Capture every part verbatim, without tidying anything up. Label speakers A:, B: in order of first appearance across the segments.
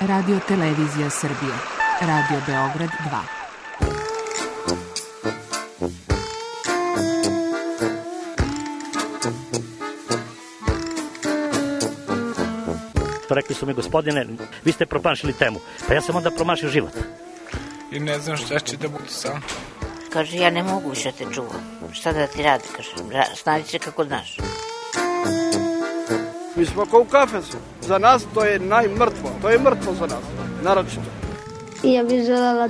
A: Radio Televizija Srbije, Radio Beograd dva.
B: Rekli su mi, gospodine, vi ste promašili temu. Pa ja sam onda promašio život.
C: I ne znam šta će da bude sam.
D: Kaže, ja ne mogu više te čuvam. Šta da ti radi, kaže, snađi se kako znaš.
E: Mi smo kao u kafesu. Za nas to je najmrtvo. To je mrtvo za nas, naročito.
F: I ja bih želela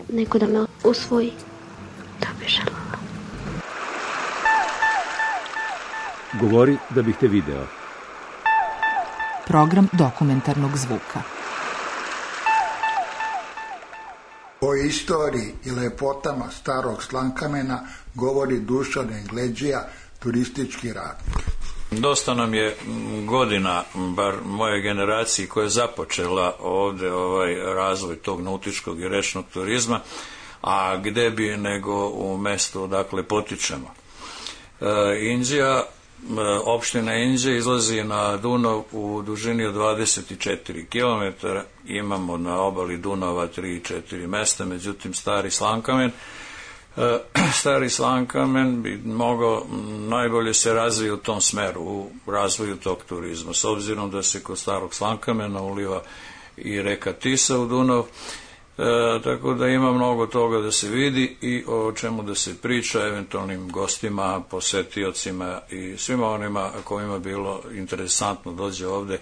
F: neko da me usvoji. To bih želela.
G: Govori da bih te video.
A: Program dokumentarnog zvuka.
H: O istoriji i lepotama starog Slankamena govori Dušan Engleđija, turistički radnik.
I: Dosta nam je godina, bar moje generaciji, koja je započela ovde ovaj razvoj tog nautičkog i rečnog turizma, a gde bi nego u mestu odakle potičemo. E, Inđija, opština Inđija izlazi na Dunav u dužini od dvadeset četiri kilometara, imamo na obali Dunava tri četiri mesta, međutim Stari Slankamen Stari Slankamen bi mogao najbolje se razvije u tom smeru, u razvoju tog turizma, s obzirom da se kod Starog Slankamena uliva i reka Tisa u Dunav, e, tako da ima mnogo toga da se vidi i o čemu da se priča eventualnim gostima, posetiocima i svima onima kojima bilo interesantno dođe ovde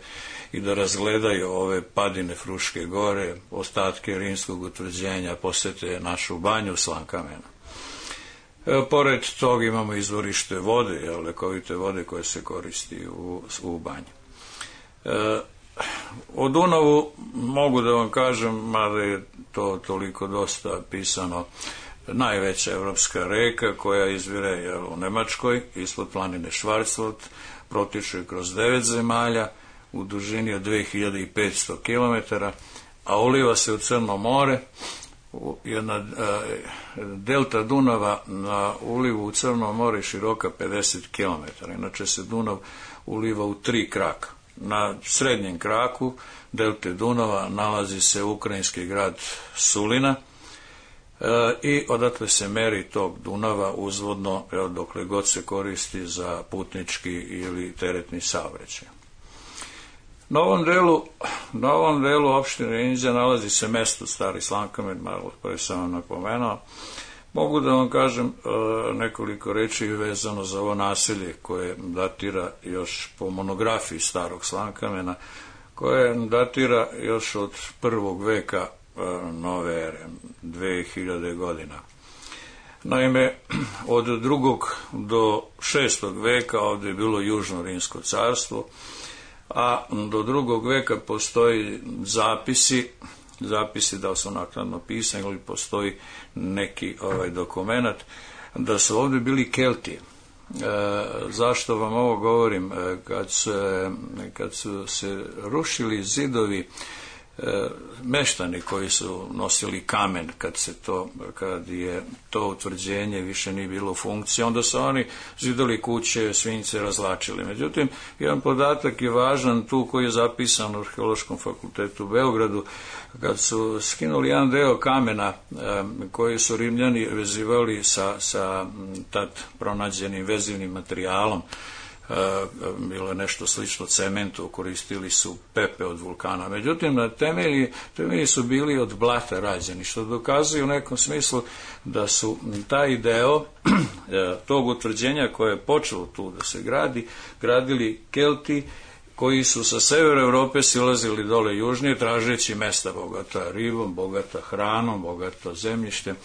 I: i da razgledaju ove padine Fruške gore, ostatke rimskog utvrđenja, posete našu banju Slankamena. E, pored toga imamo izvorište vode, lekovite vode koje se koristi u, u banji. E, o Dunavu mogu da vam kažem, mada je to toliko dosta pisano, najveća evropska reka koja izvire jel, u Nemačkoj, ispod planine Schwarzwald, protiče kroz devet zemalja, u dužini od dve hiljade petsto kilometara, a uliva se u Crno more. Jedna e, delta Dunava na ulivu u Crno more široka pedeset kilometara. Inače se Dunav uliva u tri kraka. Na srednjem kraku delte Dunava nalazi se ukrajinski grad Sulina e, i odatle se meri tog Dunava uzvodno, evo, dokle god se koristi za putnički ili teretni saobraćaj. Na ovom delu, na ovom delu opštine Inđija nalazi se mesto Stari Slankamen, malo pre sam vam napomenuo. Mogu da vam kažem e, nekoliko reči vezano za ovo naselje koje datira još po monografiji Starog Slankamena, koje datira još od prvog veka e, nove ere, dve hiljade godina. Naime, od drugog do šestog veka ovde je bilo Južno Rimsko carstvo, a do drugog veka postoji zapisi, zapisi da su naknadno pisani ili postoji neki ovaj dokumenat, da su ovde bili Kelti. E, zašto vam ovo govorim? E, kad, se, kad su se rušili zidovi, e, meštani koji su nosili kamen, kad se to, kad je to utvrđenje više nije bilo u funkciji, onda su oni zidali kuće, svinjce razlačili. Međutim, jedan podatak je važan tu koji je zapisan u Arheološkom fakultetu u Beogradu, kad su skinuli jedan deo kamena e, koji su Rimljani vezivali sa, sa tad pronađenim vezivnim materijalom, bilo je nešto slično cementu, koristili su pepe od vulkana. Međutim, na temelji, temelji su bili od blata rađeni, što dokazuje u nekom smislu da su taj deo tog utvrđenja koje je počelo tu da se gradi, gradili Kelti koji su sa severa Evrope silazili dole južnije, tražeći mesta bogata ribom, bogata hranom, bogata zemljištem.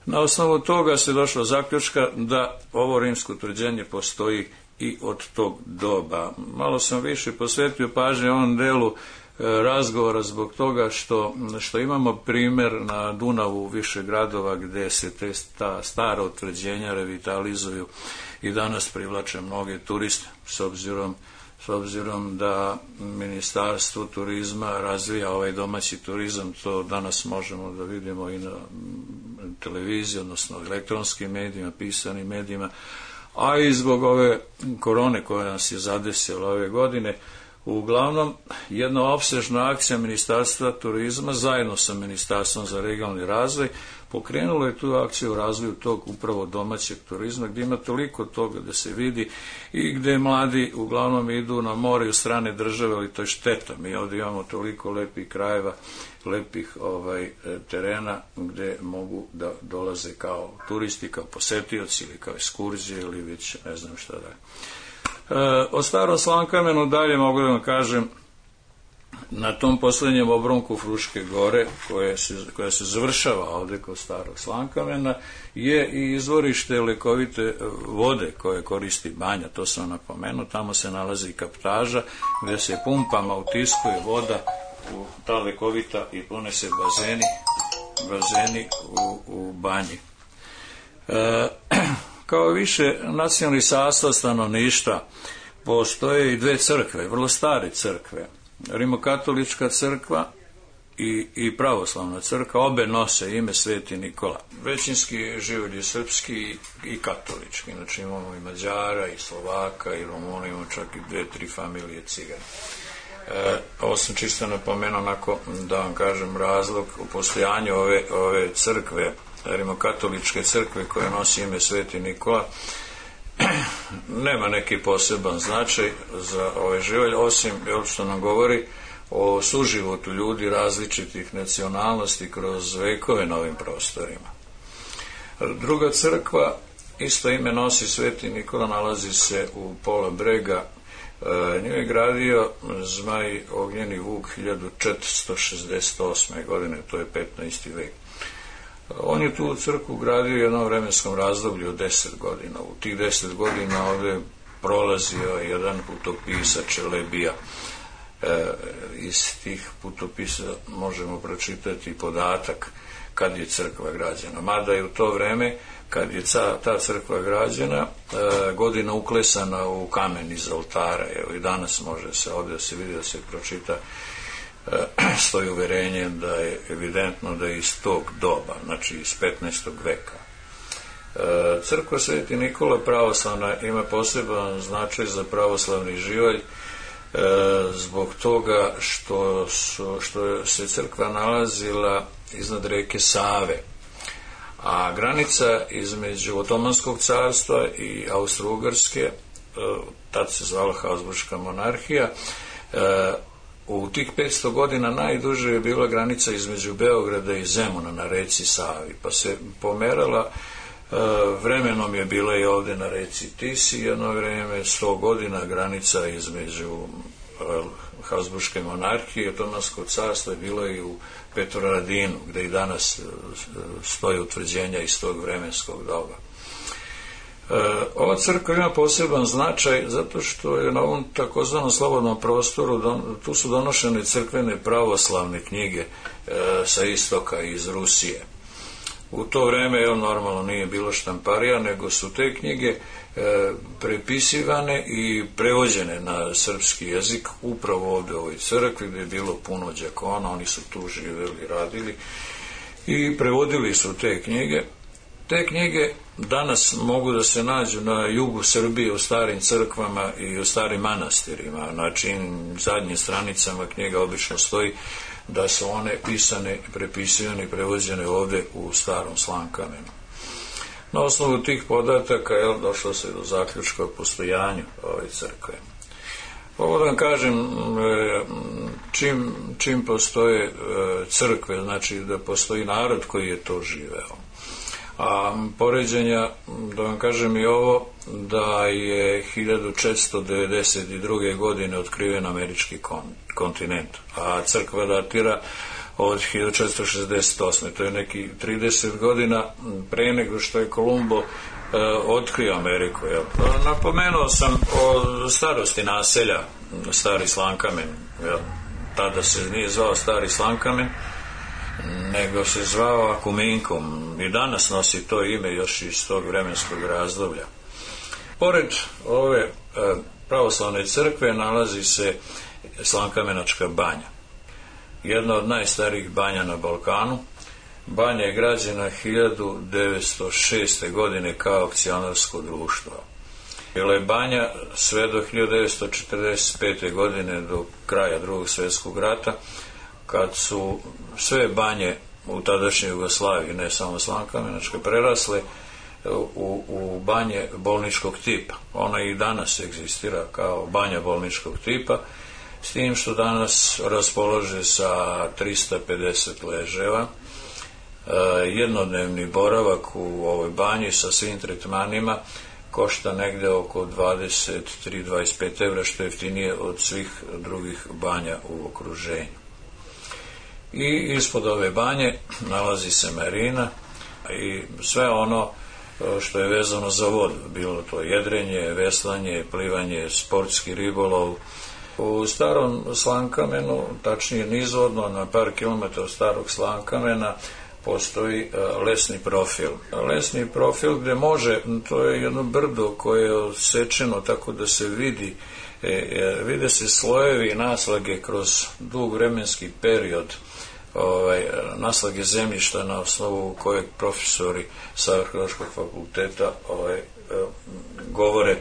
I: Na osnovu toga se došlo zaključka da ovo rimsko utvrđenje postoji i od tog doba. Malo sam više posvetio pažnje ovom delu e, razgovora zbog toga što, što imamo primer na Dunavu više gradova gde se te ta stara utvrđenja revitalizuju i danas privlače mnoge turiste, s obzirom, s obzirom da Ministarstvo turizma razvija ovaj domaći turizam. To danas možemo da vidimo i na televiziji, odnosno elektronskim medijima, pisanim medijima, a i zbog ove korone koja nas je zadesila ove godine, Uglavnom, jedna opsežna akcija Ministarstva turizma zajedno sa Ministarstvom za regionalni razvoj pokrenulo je tu akciju u razvoju tog upravo domaćeg turizma, gdje ima toliko toga da se vidi i gdje mladi uglavnom idu na more u strane države, ali to je šteta. Mi ovdje imamo toliko lepih krajeva, lepih ovaj, terena gdje mogu da dolaze kao turisti, kao posetioci ili kao ekskurzije ili već ne znam šta da je. E, o Starom Slankamenu dalje mogu da vam kažem, na tom posljednjem obronku Fruške gore, koje se, koja se završava ovdje kod Starog Slankamena, je i izvorište lekovite vode koje koristi banja, to sam napomenuo. Tamo se nalazi kaptaža gdje se pumpama utiskuje voda u ta lekovita i pune se bazeni, bazeni u, u banji. E, kao više nacionalni sastav stanovništva postoje i dve crkve, vrlo stare crkve. Rimokatolička crkva i, i pravoslavna crkva, obe nose ime Sveti Nikola. Većinski živelj je srpski i, i katolički, znači imamo i Mađara i Slovaka i Rumuna, imamo čak i dve, tri familije Cigana. E, ovo sam čisto napomenuo onako da vam kažem razlog u postojanju ove, ove crkve, rimokatoličke crkve koja nosi ime Sveti Nikola. Nema neki poseban značaj za ovaj živelj, osim što nam govori o suživotu ljudi različitih nacionalnosti kroz vekove na ovim prostorima. Druga crkva, isto ime nosi Sveti Nikola, nalazi se u pola brega. Nju je gradio Zmaj Ognjeni Vuk hiljadu četiristo šezdeset osme. godine, to je petnaesti vek. On je tu crkvu gradio u jednom vremenskom razdoblju od deset godina. U tih deset godina ovdje prolazio jedan putopisac Čelebija. E, iz tih putopisa možemo pročitati podatak kad je crkva građena. Mada je u to vreme, kad je ca, ta crkva građena, e, godina uklesana u kamen iz oltara. Evo i danas može se ovdje se vidi da se pročita, stoji uverenje da je evidentno da je iz tog doba, znači iz petnaestog veka. Crkva Sveti Nikola pravoslavna ima poseban značaj za pravoslavni živalj zbog toga što, su, što se crkva nalazila iznad reke Save, a granica između Otomanskog carstva i Austro-Ugarske, tad se zvala Habsburška monarhija, u tih petsto godina najduže je bila granica između Beograda i Zemuna na reci Savi, pa se pomerala, vremenom je bila i ovdje na reci Tisi jedno vrijeme, sto godina granica između Habsburške monarhije i Otomanskog carstva je bilo i u Petrovaradinu, gdje i danas stoje utvrđenja iz tog vremenskog doba. Ova crkva ima poseban značaj zato što je na ovom takozvanom slobodnom prostoru, tu su donošene crkvene pravoslavne knjige sa istoka iz Rusije. U to vreme, evo, normalno nije bilo štamparija, nego su te knjige prepisivane i prevođene na srpski jezik upravo ovdje u ovoj crkvi gdje je bilo puno đakona, oni su tu živjeli, radili i prevodili su te knjige. Te knjige danas mogu da se nađu na jugu Srbije u starim crkvama i u starim manastirima. Znači, zadnjim stranicama knjiga obično stoji da su one pisane, prepisivane i prevođene ovdje u Starom Slankamenu. Na osnovu tih podataka je došlo se do zaključka o postojanju ove crkve. Ovo da vam kažem, čim, čim postoje crkve, znači da postoji narod koji je to živeo. A poređenja, da vam kažem i ovo, da je hiljadu četiristo devedeset druge. godine otkriven američki kontinent, a crkva datira od hiljadu četiristo šezdeset osme. To je neki trideset godina pre nego što je Kolumbo e, otkrio Ameriku. Jel? Napomenuo sam o starosti naselja Stari Slankamen. Jel? Tada se nije zvao Stari Slankamen, nego se zvao Akuminkum i danas nosi to ime još iz tog vremenskog razdoblja. Pored ove e, pravoslavne crkve nalazi se Slankamenačka banja, jedna od najstarijih banja na Balkanu. Banja je građena hiljadu devetsto šeste. godine kao akcionarsko društvo. Bila je banja sve do hiljadu devetsto četrdeset pete. godine, do kraja Drugog svjetskog rata, kad su sve banje u tadašnjoj Jugoslaviji, ne samo Slankamenačke, prerasle u, u banje bolničkog tipa. Ona i danas egzistira kao banja bolničkog tipa, s tim što danas raspolože sa trista pedeset leževa. Jednodnevni boravak u ovoj banji sa svim tretmanima košta negde oko dvadeset tri do dvadeset pet evra, što je jeftinije od svih drugih banja u okruženju. I ispod ove banje nalazi se marina i sve ono što je vezano za vodu, bilo to jedrenje, veslanje, plivanje, sportski ribolov. U starom Slankamenu, tačnije nizvodno na par kilometara od starog Slankamena, postoji lesni profil. Lesni profil gde može, to je jedno brdo koje je odsečeno tako da se vidi, e, vide se slojevi i naslage kroz dug vremenski period, ovaj, naslage zemljišta na osnovu kojeg profesori sa Arheološkog fakulteta ovaj, govore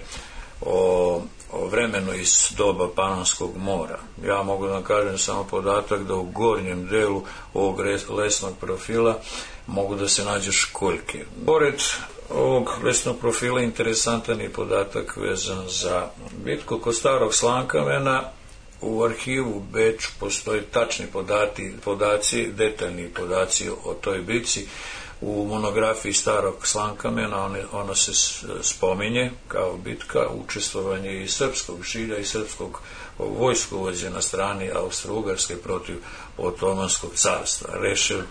I: o, o vremenu iz doba Panonskog mora. Ja mogu da vam kažem samo podatak da u gornjem delu ovog lesnog profila mogu da se nađu školjke. Pored ovog lesnog profila interesantan je podatak vezan za bitku kod starog Slankamena. U arhivu u Beču postoje tačni podati, podaci, detaljni podaci o toj bitci. U monografiji starog Slankamena ona, ona se spominje kao bitka, učestvovanje i srpskog žilja i srpskog vojskovođe na strani Austro-Ugarske protiv Otomanskog carstva. Rešen,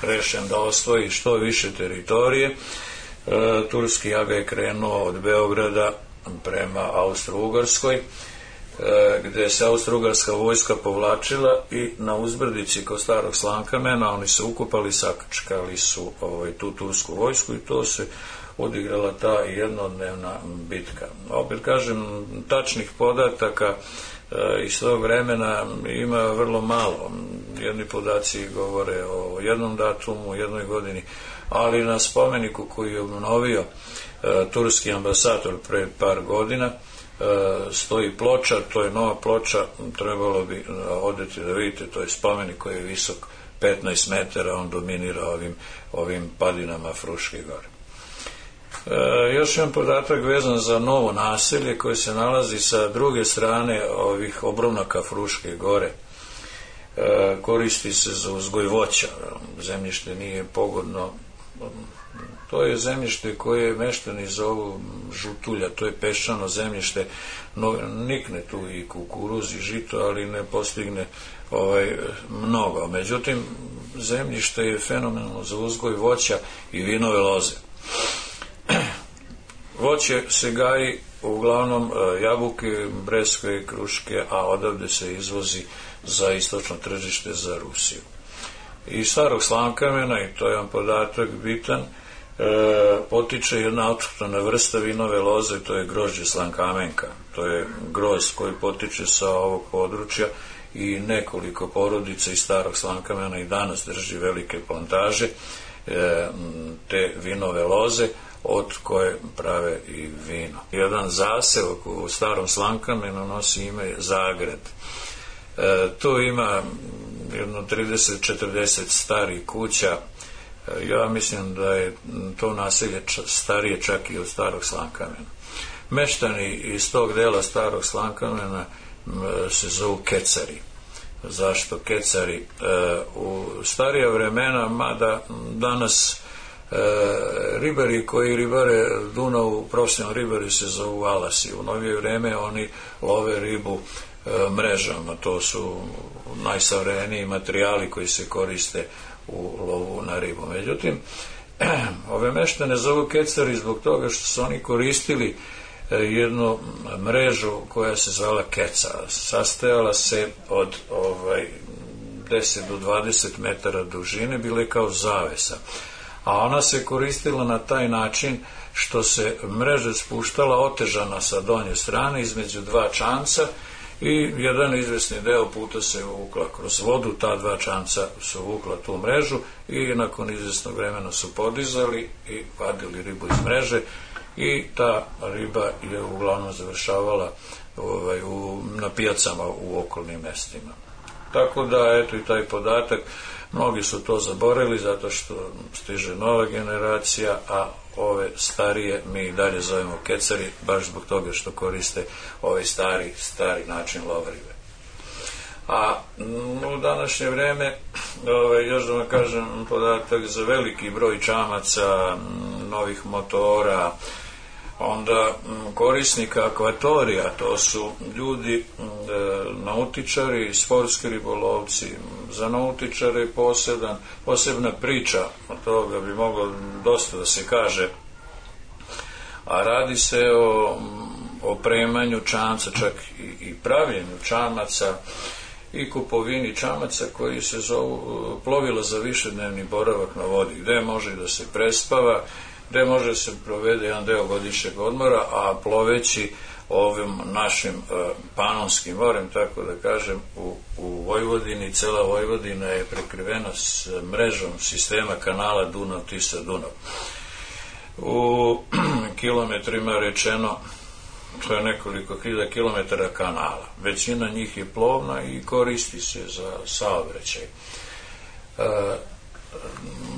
I: rešen da osvoji što više teritorije, e, turski aga je krenuo od Beograda prema Austro-Ugarskoj, gde se Austro-Ugarska vojska povlačila i na uzbrdici kod starog Slankamena oni se ukupali, sakačkali su ovaj, tu tursku vojsku i to se odigrala ta jednodnevna bitka. Opet kažem, tačnih podataka e, iz tog vremena ima vrlo malo. Jedni podaci govore o jednom datumu, jednoj godini, ali na spomeniku koji je obnovio e, turski ambasador pred par godina stoji ploča, to je nova ploča, trebalo bi odeti da vidite, to je spomenik koji je visok petnaest metara, on dominira ovim, ovim padinama Fruške gore. E, još jedan podatak vezan za novo naselje koje se nalazi sa druge strane ovih obronaka Fruške gore. E, koristi se za uzgoj voća, zemljište nije pogodno. To je zemljište koje meštani zovu žutulja, to je peščano zemljište, no, nikne tu i kukuruz i žito, ali ne postigne ovaj, mnogo. Međutim, zemljište je fenomenalno za uzgoj voća i vinove loze. Voće se gaji uglavnom jabuke, breskve, kruške, a odavde se izvozi za istočno tržište za Rusiju. Iz starog Slankamena, i to je jedan podatak bitan, E, potiče jedna autohtona vrsta vinove loze, to je grožđe Slankamenka. To je groz koji potiče sa ovog područja i nekoliko porodica iz starog Slankamena i danas drži velike plantaže e, te vinove loze od koje prave i vino. Jedan zaseok u starom Slankamenu nosi ime Zagrad. E, tu ima jedno trideset četrdeset starih kuća. Ja mislim da je to naselje starije čak i od starog Slankamena. Meštani iz tog dela starog Slankamena se zovu Kecari. Zašto Kecari? U starija vremena, mada danas ribari koji ribare Dunavu, profesionalni ribari se zovu Alasi. U novije vreme oni love ribu mrežama. To su najsavremeniji materijali koji se koriste u lovu na ribu. Međutim, ove meštane zovu Kecari zbog toga što su oni koristili jednu mrežu koja se zvala keca. Sastojala se od ovaj, deset do dvadeset metara dužine, bile kao zavesa. A ona se koristila na taj način što se mreža spuštala otežana sa donje strane između dva čamca i jedan izvesni deo puta se uvukla kroz vodu, ta dva čamca su uvukla tu mrežu i nakon izvesnog vremena su podizali i vadili ribu iz mreže i ta riba je uglavnom završavala ovaj, u, na pijacama u okolnim mestima. Tako da, eto i taj podatak, mnogi su to zaboravili zato što stiže nova generacija, a ove starije mi i dalje zovemo kecari, baš zbog toga što koriste ovaj stari, stari način lova ribe. A u današnje vreme, ovaj, još da vam kažem podatak za veliki broj čamaca, novih motora, onda korisnika akvatorija, to su ljudi, nautičari, sportski ribolovci. Za nautičare poseban, posebna priča, od toga bi moglo dosta da se kaže, a radi se o opremanju čamca, čak i, i pravljenju čamaca i kupovini čamaca koji se zovu plovila za višednevni boravak na vodi, gde može da se prespava, gde može da se provede jedan deo godišnjeg odmora, a ploveći ovim našim uh, Panonskim morem, tako da kažem, u, u Vojvodini, cela Vojvodina je prekrivena s mrežom sistema kanala Dunav-Tisa-Dunav. U kilometrima rečeno, to je nekoliko hiljada kilometara kanala. Većina njih je plovna i koristi se za saobraćaj. Uh,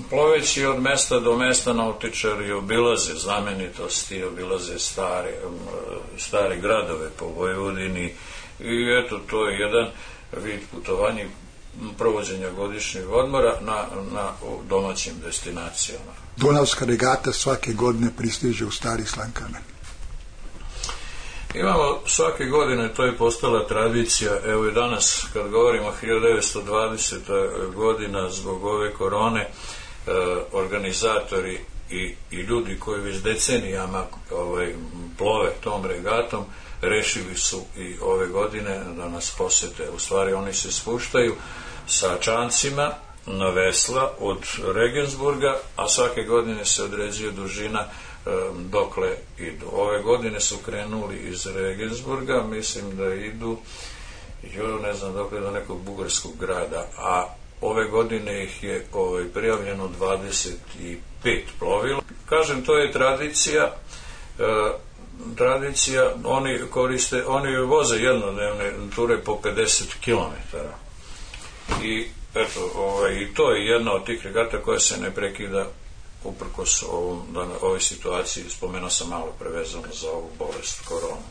I: Ploveći od mesta do mesta nautičari obilaze znamenitosti, obilaze stare, stare gradove po Vojvodini i eto, to je jedan vid putovanja, provođenja godišnjeg odmora na, na domaćim destinacijama.
H: Dunavska regata svake godine pristiže u Stari Slankamen.
I: Imamo svake godine, to je postala tradicija, evo i danas kad govorimo hiljadu devetsto dvadeseta godina zbog ove korone, eh, organizatori i, i ljudi koji već decenijama ovaj, plove tom regatom, rešili su i ove godine da nas posete. U stvari oni se spuštaju sa čamcima na vesla od Regensburga, a svake godine se određuje dužina dokle idu. Ove godine su krenuli iz Regensburga, mislim da idu jo, ne znam dokle, do nekog bugarskog grada, a ove godine ih je ovaj, prijavljeno dvadeset pet plovila. Kažem, to je tradicija, e, tradicija, oni koriste, oni voze jednodnevne ture po pedeset kilometara i eto, ovaj, i to je jedna od tih regata koja se ne prekida uprkos ovom, ovoj situaciji. Spomenuo sam malo prevezano za ovu bolest koronu.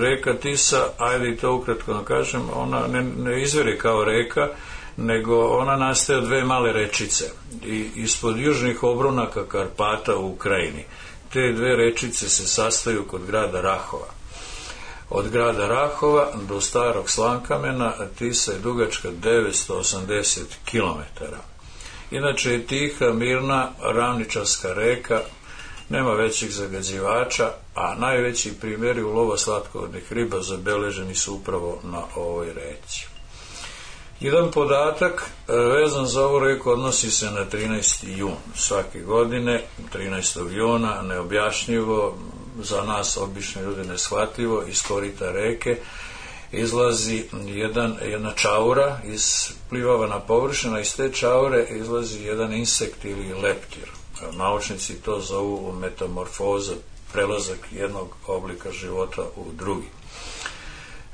I: Reka Tisa, ajde i to ukratko da kažem, ona ne, ne izvire kao reka, nego ona nastaje od dve male rečice i ispod južnih obrunaka Karpata u Ukrajini. Te dve rečice se sastaju kod grada Rahova. Od grada Rahova do Starog Slankamena Tisa je dugačka devetsto osamdeset kilometara. Inače je tiha, mirna, ravničarska reka, nema većih zagađivača, a najveći primjeri ulova slatkovodnih riba zabeleženi su upravo na ovoj reci. Jedan podatak vezan za ovu reku odnosi se na trinaesti jun svake godine, trinaestog juna, neobjašnjivo, za nas obične ljude neshvatljivo, iz korita reke izlazi jedan, jedna čaura, isplivava na površinu, iz te čaure izlazi jedan insekt ili leptir. Naučnici to zovu metamorfoza, prelazak jednog oblika života u drugi.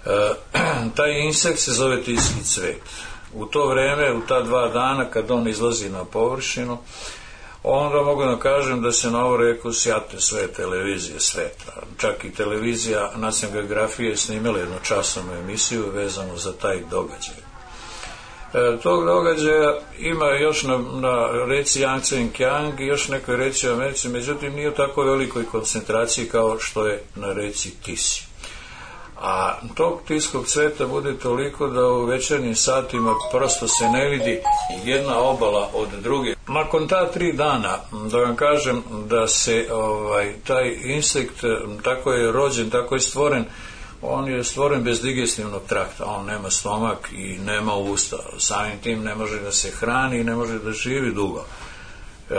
I: E, taj insekt se zove tiski cvet. U to vreme, u ta dva dana kad on izlazi na površinu, onda mogu da kažem da se na ovu reku sjate sve televizije sveta. Čak i televizija Nacionalne geografije snimila jednu časovnu emisiju vezanu za taj događaj. E, tog događaja ima još na, na reci Yangtze i Kiang i još nekoj reci u Americi, međutim nije u tako velikoj koncentraciji kao što je na reci Tisi. A tog tiskog cveta bude toliko da u večernjim satima prosto se ne vidi jedna obala od druge. Nakon ta tri dana, da vam kažem da se ovaj, taj insekt tako je rođen, tako je stvoren, on je stvoren bez digestivnog trakta, on nema stomak i nema usta, samim tim ne može da se hrani i ne može da živi dugo. E,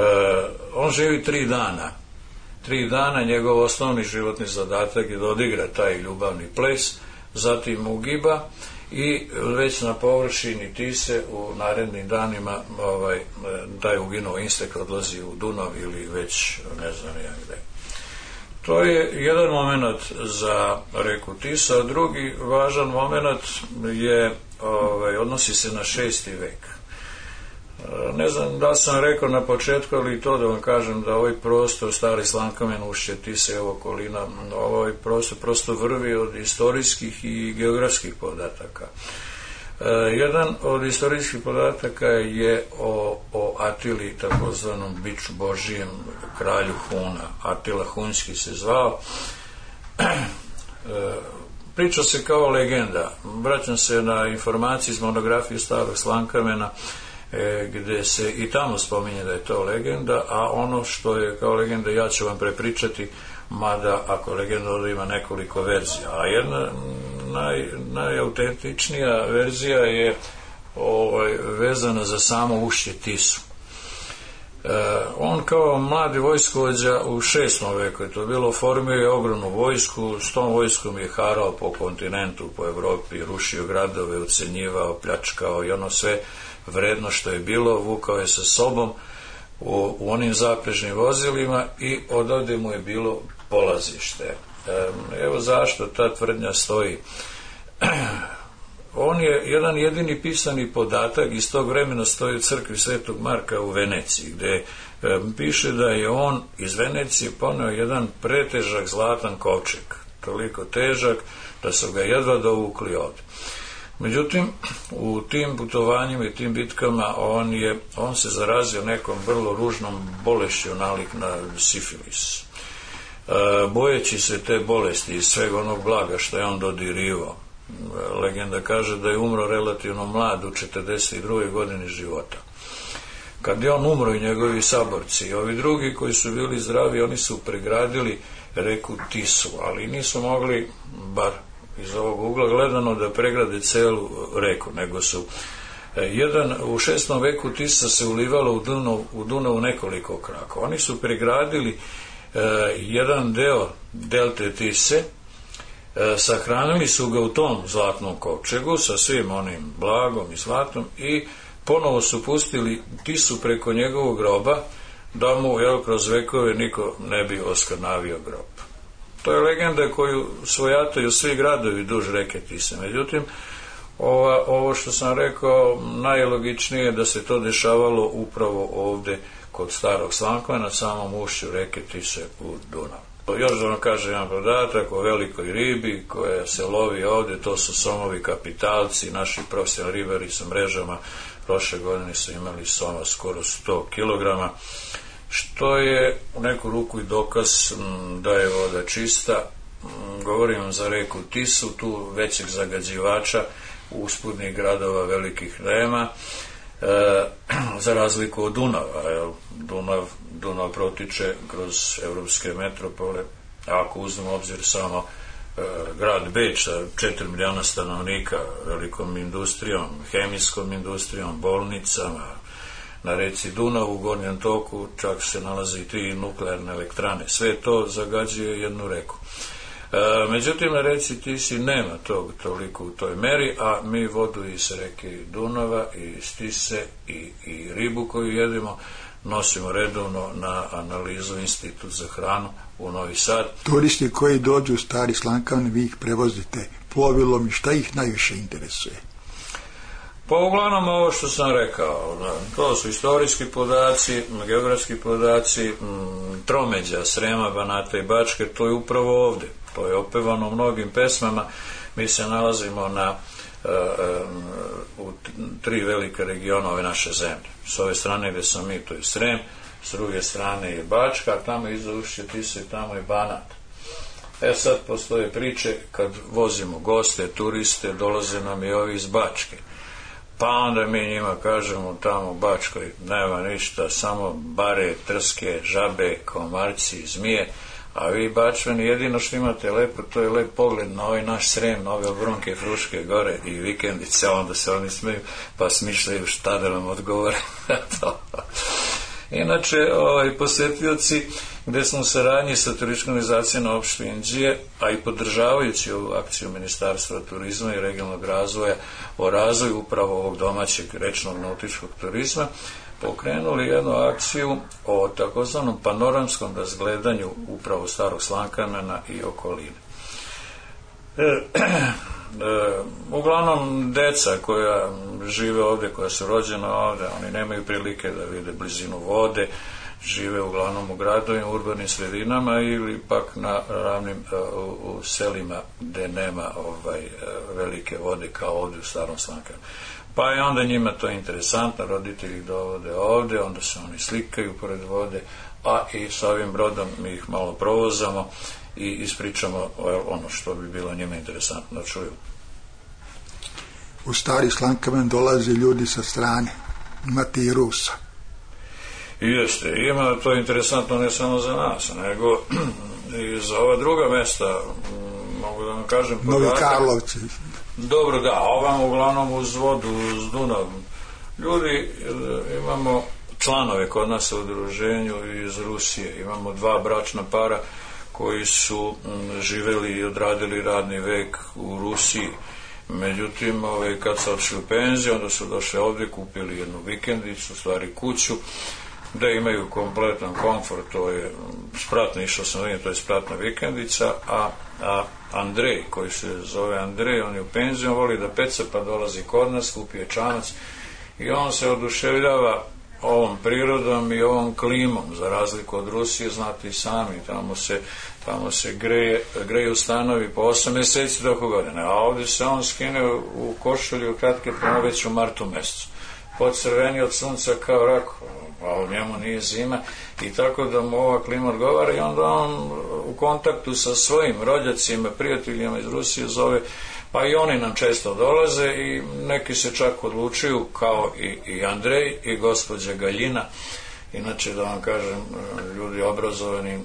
I: on živi tri dana. Tri dana njegov osnovni životni zadatak je da odigra taj ljubavni ples, zatim ugiba i već na površini Tise u narednim danima ovaj, taj uginuo insekt odlazi u Dunav ili već ne znam ja gde. To je jedan moment za reku Tisu, a drugi važan moment je, ovaj, odnosi se na šesti vek. Ne znam da sam rekao na početku, ali to da vam kažem da ovaj prostor Stari Slankamen, ušće Tise i okolina, ovaj prostor prosto vrvi od istorijskih i geografskih podataka. E, jedan od istorijskih podataka je o, o Atili, takozvanom biču Božijem, kralju Huna. Atila Hunski se zvao. E, priča se kao legenda. Vraćam se na informacije iz monografije Starog Slankamena, e, gde se i tamo spominje da je to legenda, a ono što je kao legenda ja ću vam prepričati, mada ako legenda ovdje ima nekoliko verzija. A jedna naj, najautentičnija verzija je ovaj, vezana za samo ušće Tisu. E, on kao mladi vojskovođa u šestom veku je to bilo, formio je ogromnu vojsku, s tom vojskom je harao po kontinentu, po Evropi, rušio gradove, ucenjivao, pljačkao i ono sve vredno što je bilo, vukao je sa sobom u, u onim zaprežnim vozilima i odavde mu je bilo polazište. E, evo zašto ta tvrdnja stoji. On je jedan jedini pisani podatak iz tog vremena stoji u crkvi Svetog Marka u Veneciji, gde e, piše da je on iz Venecije poneo jedan pretežak zlatan kovčeg, toliko težak da su ga jedva dovukli ovde. Međutim, u tim putovanjima i tim bitkama on, je, on se zarazio nekom vrlo ružnom bolešću nalik na sifilis. E, bojeći se te bolesti i svega onog blaga što je on dodirivao, legenda kaže da je umro relativno mlad u četrdeset drugoj godini života. Kad je on umro i njegovi saborci, ovi drugi koji su bili zdravi, oni su pregradili reku Tisu, ali nisu mogli, bar iz ovog ugla gledano, da pregrade celu reku, nego su jedan, u šestom veku Tisa se ulivala u Dunav, u Dunavu nekoliko kraka. Oni su pregradili eh, jedan deo delte Tise, eh, sahranili su ga u tom zlatnom kovčegu sa svim onim blagom i zlatom i ponovo su pustili Tisu preko njegovog groba da mu, jel, kroz vekove niko ne bi oskrnavio grob. To je legenda koju svojataju svi gradovi duž reke Tise. Međutim, ova, ovo što sam rekao, najlogičnije je da se to dešavalo upravo ovde kod Starog Slankamena, na samom ušću reke Tise u Dunav. Još da vam kažem jedan podatak o velikoj ribi koja se lovi ovde, to su somovi kapitalci, naši profesionalni ribari sa mrežama prošle godine su imali soma skoro sto kilograma, što je u neku ruku i dokaz da je voda čista. Govorim za reku Tisu, tu većeg zagađivača usputnih gradova velikih nema, e, za razliku od Dunava. Jel? Dunav, Dunav protiče kroz evropske metropole, ako uzmemo obzir samo e, grad Beč sa četiri miliona stanovnika, velikom industrijom, hemijskom industrijom, bolnicama. Na reci Dunav u gornjem toku čak se nalaze i tri nuklearne elektrane. Sve to zagađuje jednu reku. E, međutim, na reci Tisi nema tog toliko u toj meri, a mi vodu iz reke Dunava i iz Tise i, i ribu koju jedemo nosimo redovno na analizu Institut za hranu u Novi Sad.
H: Turisti koji dođu u Stari Slankamen, vi ih prevozite plovilom i šta ih najviše interesuje?
I: Pa uglavnom ovo što sam rekao, to su istorijski podaci, geografski podaci, tromeđa Srema, Banata i Bačke, to je upravo ovde. To je opevano u mnogim pesmama. Mi se nalazimo na u tri velika regiona ove naše zemlje. S ove strane gde sam mi, to je Srem, s druge strane je Bačka, a tamo iza ušće Tise i tamo je Banat. E sad postoje priče kad vozimo goste, turiste, dolaze nam i ovi iz Bačke. Pa onda mi njima kažemo tamo u Bačkoj nema ništa, samo bare, trske, žabe, komarci, zmije, a vi Bačvani jedino što imate lepo, to je lep pogled na ovaj naš Srem, na ove obronke, Fruške gore i vikendice, onda se oni smeju pa smišljaju šta da nam odgovore. Inače, ovaj, posjetioci gde smo u saradnji sa turističkom organizacijom na opštini Inđije, a i podržavajući ovu akciju Ministarstva turizma i regionalnog razvoja o razvoju upravo ovog domaćeg rečnog nautičkog turizma, pokrenuli jednu akciju o takozvanom panoramskom razgledanju upravo Starog Slankamena i okoline. E, e, uglavnom deca koja žive ovde, koja su rođena ovde, oni nemaju prilike da vide blizinu vode, žive uglavnom u gradovima, urbanim sredinama ili pak na ravnim u, u selima gde nema ovaj velike vode kao ovde u Starom Slankamenu. Pa je onda njima to interesantno, roditelji dovode ovde, onda se oni slikaju pored vode, a i sa ovim brodom mi ih malo provozamo i ispričamo ono što bi bilo njima interesantno da čuju.
H: U Stari Slankamen dolaze ljudi sa strane, imate i Rusa.
I: I jeste, ima to interesantno ne samo za nas, nego i za ova druga mesta, mogu da vam kažem podatak.
H: Novi Karlovci.
I: Dobro, da, ovam uglavnom uz vodu, uz Dunav. Ljudi, imamo članove kod nas u udruženju iz Rusije, imamo dva bračna para koji su živeli i odradili radni vek u Rusiji. Međutim, ovaj, kad su odšli u penziju, onda su došli ovdje, kupili jednu vikendicu, stvari kuću, da imaju kompletan komfort, to je spratna, išao sam vidim, to je spratna vikendica, a, a Andrej, koji se zove Andrej, on je u penziju, on voli da peca, pa dolazi kod nas, kupi je čamac i on se oduševljava ovom prirodom i ovom klimom, za razliku od Rusije, znate i sami, tamo se, tamo se greje, greju stanovi po osam mjeseci do godine, a ovdje se on skine u košulju u kratke prema već u martu mjesecu, podcrveni od sunca kao rak, a u njemu nije zima i tako da mu ova klima odgovara i onda on u kontaktu sa svojim rođacima, prijateljima iz Rusije zove, pa i oni nam često dolaze i neki se čak odlučuju kao i, i Andrej i gospođa Galjina. Inače, da vam kažem, ljudi obrazovani,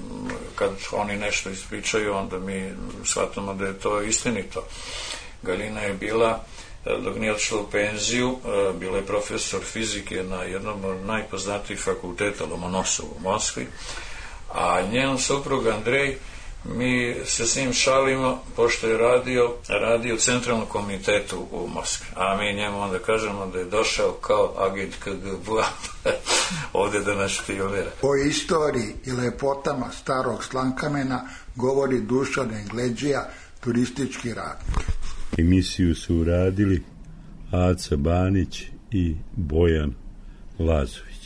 I: kad oni nešto ispričaju, onda mi shvatamo da je to istinito. Galjina je bila, dok nije odšla u penziju, bila je profesor fizike na jednom od najpoznatijih fakulteta Lomonosovu u Moskvi, a njen suprug Andrej, mi se s njim šalimo, pošto je radio, radio u centralnom komitetu u Moskvi, a mi njemu onda kažemo da je došao kao agent K G B ovdje da nas špijunira.
H: O istoriji i lepotama Starog Slankamena govori Dušan Engleđija, turistički radnik.
J: Emisiju su uradili Aca Banić i Bojan Lazović.